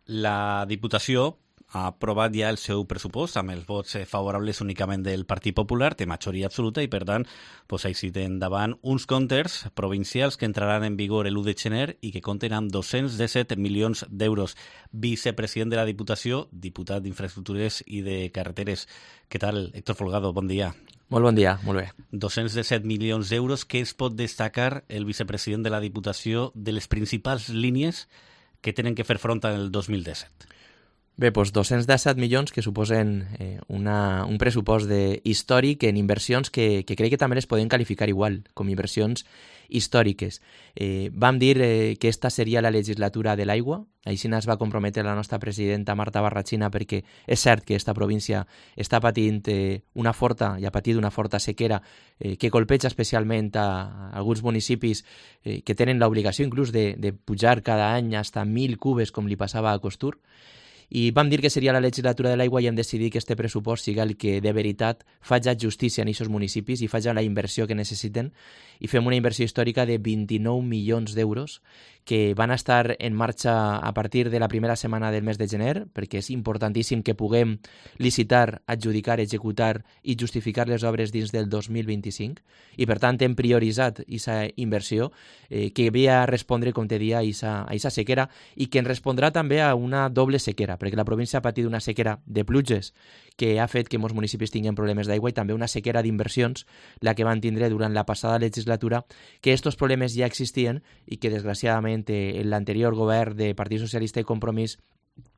La Diputació ha aprovat ja el seu pressupost amb els vots favorables únicament del Partit Popular, té majoria absoluta i, per tant, així tenen davant uns comptes provincials que entraran en vigor l'1 de gener i que compten amb 217 milions d'euros. Vicepresident de la Diputació, diputat d'Infraestructures i de Carreteres. Què tal, Héctor Folgado? Bon dia. Molt bon dia, molt bé. 217 milions d'euros. Què es pot destacar el vicepresident de la Diputació de les principals línies que tenen que fer front al 2017? Bé, doncs 217 milions que suposen un pressupost històric en inversions que crec que també les podem qualificar igual, com inversions històriques. Vam dir que esta seria la legislatura de l'aigua, així es va comprometre la nostra presidenta Marta Barrachina, perquè és cert que esta província està patint ha patit una forta sequera que colpeja especialment a alguns municipis que tenen l'obligació inclús de pujar cada any fins a 1.000 cubes, com li passava a Costur. I vam dir que seria la legislatura de l'aigua i hem decidit que este pressupost siga el que de veritat faci justícia en aquests municipis i faci la inversió que necessiten, i fem una inversió històrica de 29 milions d'euros que van estar en marxa a partir de la primera setmana del mes de gener, perquè és importantíssim que puguem licitar, adjudicar, executar i justificar les obres dins del 2025, i per tant hem prioritzat aquesta inversió que ve a respondre, com te dia, a aquesta sequera i que ens respondrà també a una doble sequera, perquè la província ha patit una sequera de pluges que ha fet que molts municipis tinguin problemes d'aigua i també una sequera d'inversions, la que van tindre durant la passada legislatura, que aquests problemes ja existien i que desgraciadament l'anterior govern de Partit Socialista i Compromís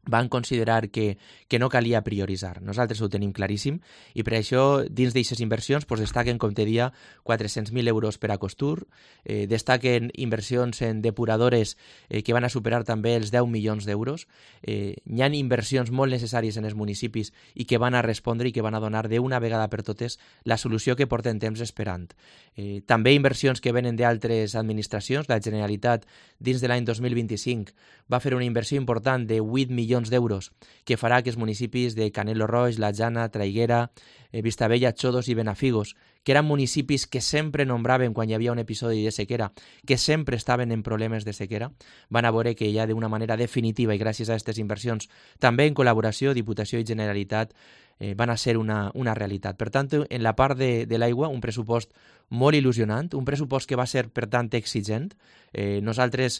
van considerar que no calia prioritzar. Nosaltres ho tenim claríssim i per això dins d'aquestes inversions destaquen, com te dia, 400.000 euros per a Costur, destaquen inversions en depuradores que van a superar també els 10 milions d'euros. Hi ha inversions molt necessàries en els municipis i que van a respondre i que van a donar d'una vegada per totes la solució que porten temps esperant. També inversions que venen d'altres administracions. La Generalitat dins de l'any 2025 va fer una inversió important de 8 milions d'euros que farà que els municipis de Canelo Roig, La Jana, Traiguera, Vistabella, Xodos i Benafigos, que eren municipis que sempre nombraven quan hi havia un episodi de sequera, que sempre estaven en problemes de sequera, van a veure que ja d'una manera definitiva i gràcies a aquestes inversions, també en col·laboració, Diputació i Generalitat, van a ser una realitat. Per tant, en la part de l'aigua, un pressupost molt il·lusionant, un pressupost que va ser, per tant, exigent. Nosaltres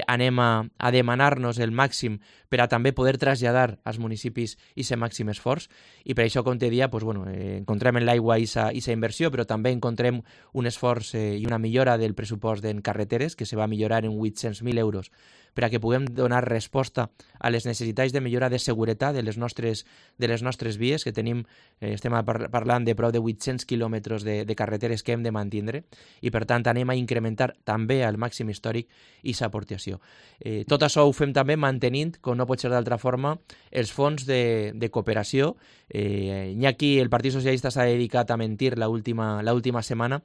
anem a demanar-nos el màxim per a també poder traslladar als municipis aquest màxim esforç, i per això, com te dia, encontrem en l'aigua aquesta inversió, però també encontrem un esforç i una millora del pressupost en carreteres, que se va millorar en 800.000 euros, per a que puguem donar resposta a les necessitats de millora de seguretat de les nostres vies, que tenim, estem parlant de prou de 800 quilòmetres de carreteres que hem de mantindre, i per tant anem a incrementar també al màxim històric aquesta aportació. Tot això ho fem també mantenint, com no pot ser d'altra forma, els fons de cooperació. Ni aquí el Partit Socialista s'ha dedicat a mentir l'última setmana,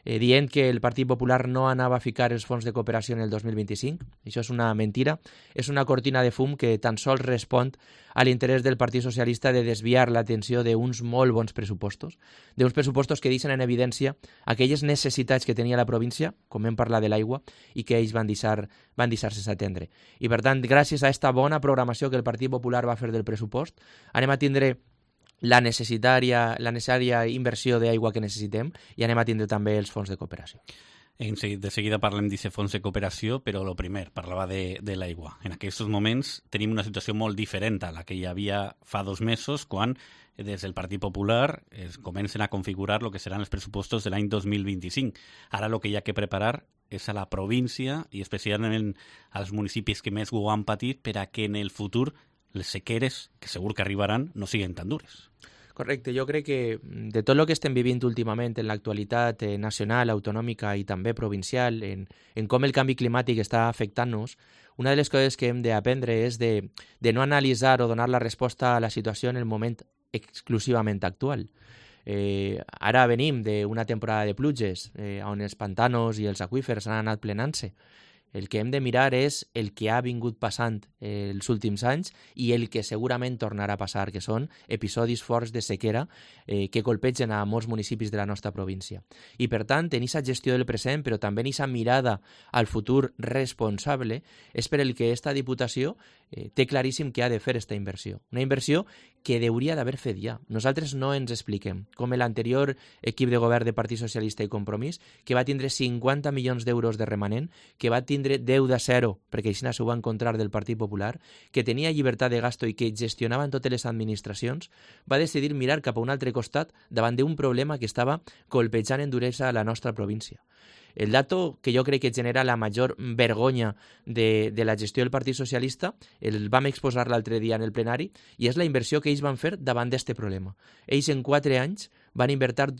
dient que el Partit Popular no anava a ficar els fons de cooperació en el 2025. Això és una mentira, és una cortina de fum que tan sols respon a l'interès del Partit Socialista de desviar l'atenció d'uns molt bons pressupostos, d'uns pressupostos que deixen en evidència aquelles necessitats que tenia la província, com hem parlat de l'aigua, i que ells van deixar-se atendre. I per tant, gràcies a aquesta bona programació que el Partit Popular va fer del pressupost, anem a tindre la necessària inversió d'aigua que necessitem i anem a tindre també els fons de cooperació. De seguida parlem d'aquest fons de cooperació, però el primer, parlava de l'aigua. En aquests moments tenim una situació molt diferent a la que hi havia fa 2 mesos, quan des del Partit Popular es comencen a configurar el que seran els pressupostos de l'any 2025. Ara el que hi ha que preparar és a la província i especialment als municipis que més ho han patit per a que en el futur les sequeres, que segur que arribaran, no siguin tan dures. Correcte, jo crec que de tot el que estem vivint últimament en l'actualitat nacional, autonòmica i també provincial, en com el canvi climàtic està afectant-nos, una de les coses que hem d'aprendre és de no analitzar o donar la resposta a la situació en el moment exclusivament actual. Ara venim d'una temporada de pluges on els pantanos i els aqüífers han anat plenant-se. El que hem de mirar és el que ha vingut passant els últims anys i el que segurament tornarà a passar, que són episodis forts de sequera que colpegen a molts municipis de la nostra província. I per tant, en aquesta gestió del present, però també en aquesta mirada al futur responsable, és per el que aquesta Diputació té claríssim que ha de fer aquesta inversió. Una inversió que hauria d'haver fet ja. Nosaltres no ens expliquem, com l'anterior equip de govern de Partit Socialista i Compromís, que va tindre 50 milions d'euros de remanent, que va tindre 10 de 0, perquè així s'ho va encontrar del Partit Popular, que tenia llibertat de gasto i que gestionaven totes les administracions, va decidir mirar cap a un altre costat davant d'un problema que estava colpejant en duresa a la nostra província. El dato que jo crec que genera la major vergonya de la gestió del Partit Socialista el vam exposar l'altre dia en el plenari i és la inversió que ells van fer davant d'aquest problema. Ells en 4 anys van invertir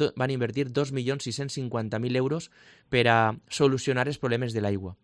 2.650.000 euros per a solucionar els problemes de l'aigua.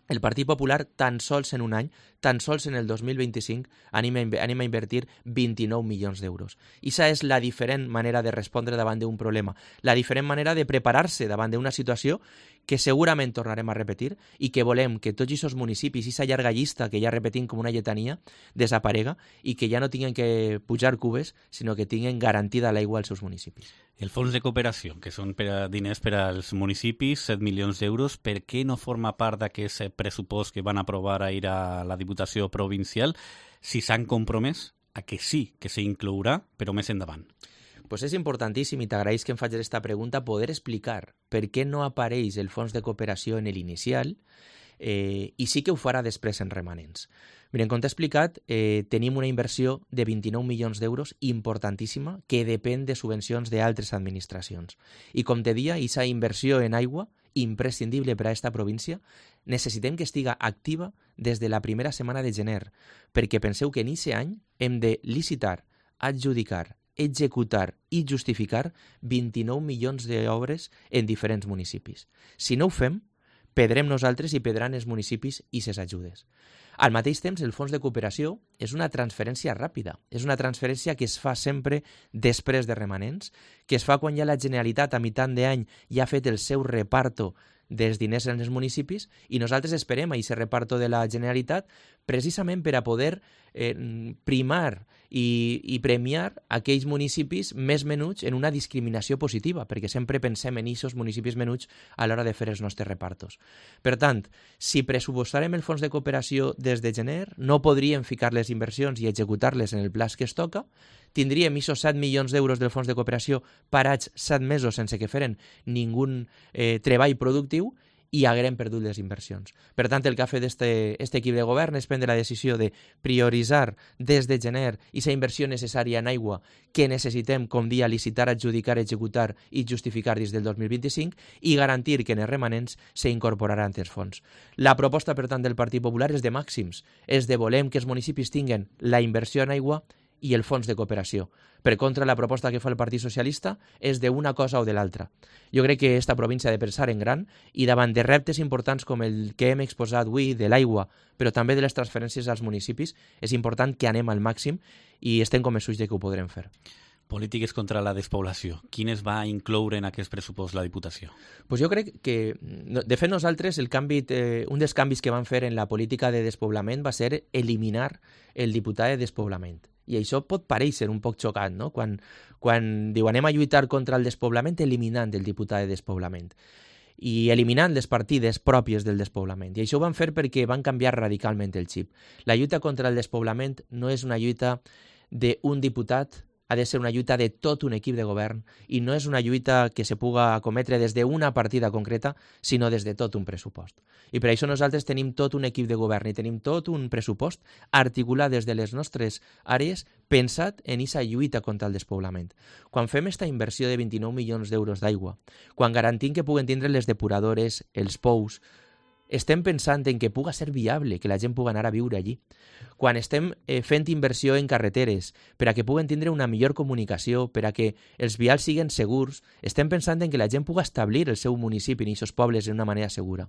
El Partit Popular, tan sols en un any, tan sols en el 2025, anem a invertir 29 milions d'euros. Ixa és la diferent manera de respondre davant d'un problema, la diferent manera de preparar-se davant d'una situació que segurament tornarem a repetir i que volem que tots aquests municipis, aquesta llarga llista que ja repetim com una lletania, desaparega i que ja no tinguin que pujar cubes, sinó que tinguin garantida l'aigua als seus municipis. El fons de cooperació, que són diners per als municipis, 7 milions d'euros, per què no forma part d'aquest pressupost que van aprovar ahir a la Diputació Provincial si s'han compromès a que sí que s'inclourà, però més endavant? Pues és importantíssim, i t'agraïs que em facis aquesta pregunta, poder explicar per què no apareix el fons de cooperació en l'inicial i sí que ho farà després en remanents. Miren, com t'he explicat, tenim una inversió de 29 milions d'euros importantíssima que depèn de subvencions d'altres administracions. I com te dia, aquesta inversió en aigua, imprescindible per a aquesta província, necessitem que estiga activa des de la primera setmana de gener, perquè penseu que en aquest any hem de licitar, adjudicar, executar i justificar 29 milions d'obres en diferents municipis. Si no ho fem, perdrem nosaltres i perdran els municipis i ses ajudes. Al mateix temps, el fons de cooperació és una transferència ràpida. És una transferència que es fa sempre després de remanents, que es fa quan ja la Generalitat a meitat d'any ja ha fet el seu reparto dels diners en els municipis i nosaltres esperem a aquest reparto de la Generalitat precisament per a poder primar i premiar aquells municipis més menuts en una discriminació positiva, perquè sempre pensem en aquests municipis menuts a l'hora de fer els nostres repartos. Per tant, si pressupostarem el fons de cooperació des de gener, no podríem ficar les inversions i executar-les en el plaç que es toca, tindríem aquests 7 milions d'euros del fons de cooperació parats 7 mesos sense que feren ningú treball productiu i haguem perdut les inversions. Per tant, el que ha fet este equip de govern és prendre la decisió de prioritzar des de gener aquesta inversió necessària en aigua que necessitem, com dia, licitar, adjudicar, executar i justificar des del 2025 i garantir que en els remanents s'incorporaran els fons. La proposta, per tant, del Partit Popular és de màxims, és de volem que els municipis tinguen la inversió en aigua i el fons de cooperació. Per contra, la proposta que fa el Partit Socialista és d'una cosa o de l'altra. Jo crec que aquesta província ha de pensar en gran i davant de reptes importants com el que hem exposat avui de l'aigua, però també de les transferències als municipis, és important que anem al màxim i estem convençuts de que ho podrem fer. Polítiques contra la despoblació. Quines va incloure en aquest pressupost la Diputació? Pues jo crec que, de fet, nosaltres un dels canvis que vam fer en la política de despoblament va ser eliminar el diputat de despoblament. I això pot parèixer un poc xocant, no? Quan diu anem a lluitar contra el despoblament eliminant el diputat de despoblament i eliminant les partides pròpies del despoblament. I això ho van fer perquè van canviar radicalment el xip. La lluita contra el despoblament no és una lluita d'un diputat, ha de ser una lluita de tot un equip de govern i no és una lluita que se puga acometre des d'una partida concreta, sinó des de tot un pressupost. I per això nosaltres tenim tot un equip de govern i tenim tot un pressupost articulat des de les nostres àrees pensat en aquesta lluita contra el despoblament. Quan fem aquesta inversió de 29 milions d'euros d'aigua, quan garantim que puguen tindre les depuradores, els pous, estem pensant en que puga ser viable, que la gent pugui anar a viure allí. Quan estem fent inversió en carreteres per a que puguen tindre una millor comunicació, per a que els vials siguin segurs, estem pensant en que la gent pugui establir el seu municipi en aquests pobles d'una manera segura.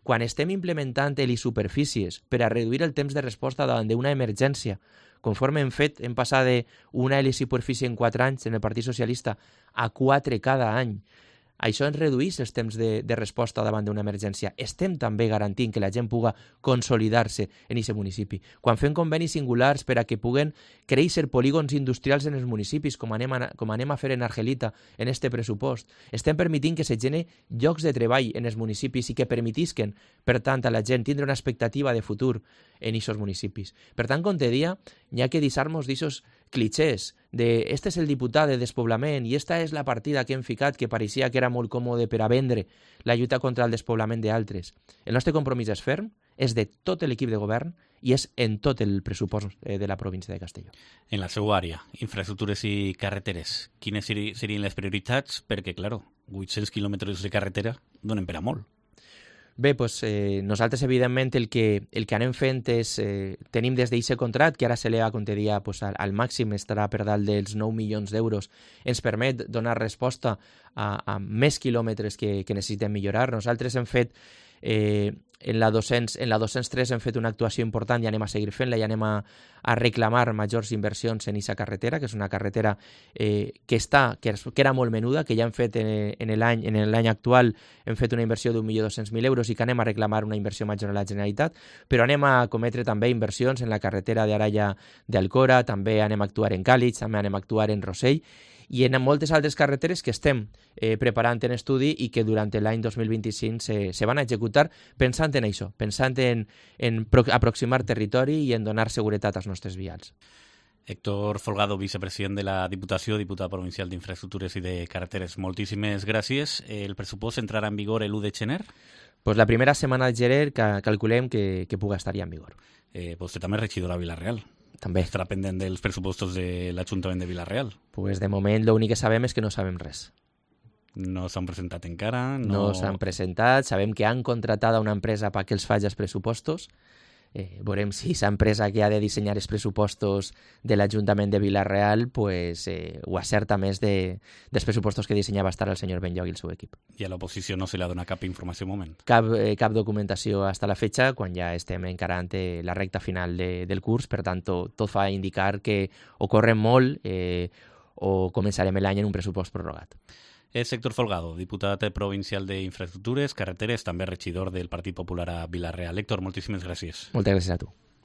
Quan estem implementant superfícies per a reduir el temps de resposta davant d'una emergència, conforme hem passat d'una superfície en 4 anys en el Partit Socialista a 4 cada any, Això ens redueix els temps de resposta davant d'una emergència. Estem també garantint que la gent puga consolidar-se en aquest municipi. Quan fem convenis singulars per a que puguen créixer polígons industrials en els municipis, com anem a fer en Argelita, en este pressupost, estem permitint que se generen llocs de treball en els municipis i que permetisquen, per tant, a la gent tindre una expectativa de futur en aquests municipis. Per tant, com te dia, n'hi ha que deixar-nos d'aquests clichés de este és el diputat de despoblament i esta és la partida que hem ficat que pareixia que era molt còmode per a vendre la lluita contra el despoblament d'altres. El nostre compromís és ferm, és de tot l'equip de govern i és en tot el pressupost de la província de Castelló. En la seva àrea, infraestructures i carreteres, quines serien les prioritats? Perquè, clar, 800 quilòmetres de carretera donen per a molt. Bé, doncs nosaltres, evidentment, el que anem fent és... tenim des d'eixe contracte, que ara s'eleva, com te dia, al màxim, estarà per dalt dels 9 milions d'euros, ens permet donar resposta a més quilòmetres que necessitem millorar. Nosaltres hem fet... en la 203 hem fet una actuació important i anem a seguir fent-la i anem a reclamar majors inversions en aquesta carretera, que és una carretera que era molt menuda, que ja hem fet en l'any actual, hem fet una inversió d'1.200.000 euros i que anem a reclamar una inversió major a la Generalitat, però anem a cometre també inversions en la carretera d'Araya d'Alcora, també anem a actuar en Càlig, també anem a actuar en Rossell, i en moltes altres carreteres que estem preparant en estudi i que durant l'any 2025 se van a executar pensant en això, pensant en aproximar territori i en donar seguretat als nostres vials. Héctor Folgado, vicepresident de la Diputació, diputat provincial d'Infraestructures i de Carreteres, moltíssimes gràcies. El pressupost entrarà en vigor l'1 de gener? Pues la primera setmana de gener calculem que puga estar ja en vigor. Vostè també és regidor a Vila-real. També. Estarà pendent dels pressupostos de l'Ajuntament de Vila-real? Pues de moment l'únic que sabem és que no sabem res. No s'han presentat encara? No s'han presentat, sabem que han contratat una empresa perquè els faci els pressupostos. Veurem si aquesta empresa que ha de dissenyar els pressupostos de l'Ajuntament de Vila-real pues, ho acerta més dels pressupostos que dissenyava estar el senyor Benlloc i el seu equip. I a l'oposició no se li ha donat cap informació al moment? Cap documentació fins a la fecha, quan ja estem encarant la recta final del curs, per tant, tot fa indicar que o correm molt o començarem l'any en un pressupost prorrogat. És Héctor Folgado, diputat provincial d'Infraestructures, Carreteres, també regidor del Partit Popular a Vila-real. Héctor, moltíssimes gràcies. Moltes gràcies a tu.